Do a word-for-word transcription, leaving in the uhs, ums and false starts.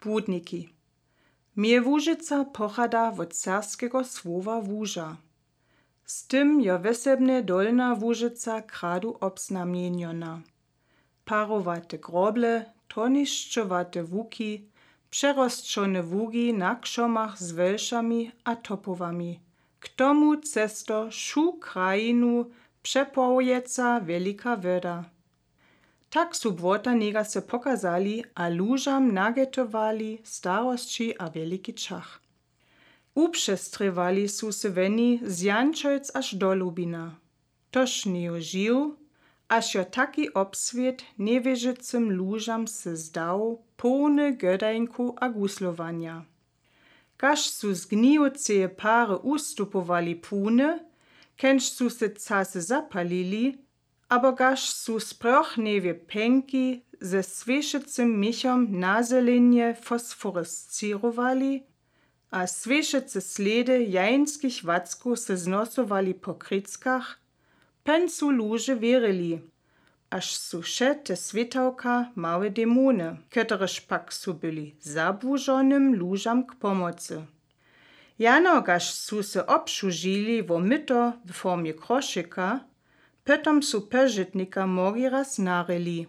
Błudniki. Mie Łužica pochada wot serbskego słowa łuža. Z tym jo wysebne Dolnja Łužica kradu obznamjenjona. Parowate groble, tonišczowate łuki, przerosćone ługi na krzomach z welšami a topowami, k tomu cesto wšu krajinu przepławjeca wielika woda. Tak su błota nigase pokazali a łužam nagetowali starosći a wieliki čach. Upřestrjewali su se woni z Jančojc až do Lubina. Toż njejo žiw, až jo taki obswět njewěžecym łužam se zdał, połny godańku a guslowanja. Gaž su z gnijoceje pary ustupowali płuny, kenž su se casy zapalili, abo gaž su sprochnjewje pjenki ze swěšecym michom na zelenje fosforiscirowali a swěšece slědy jańskich wackow se znosowali po krickach, pon su luže wěrili, až su wše te swětałka małe demony, kotrež pak su byli zabłužonym lužam k pomocy. Jano gaž su se obsłužili wo myto w formje krošika, potom su požitnika mogi raz narili.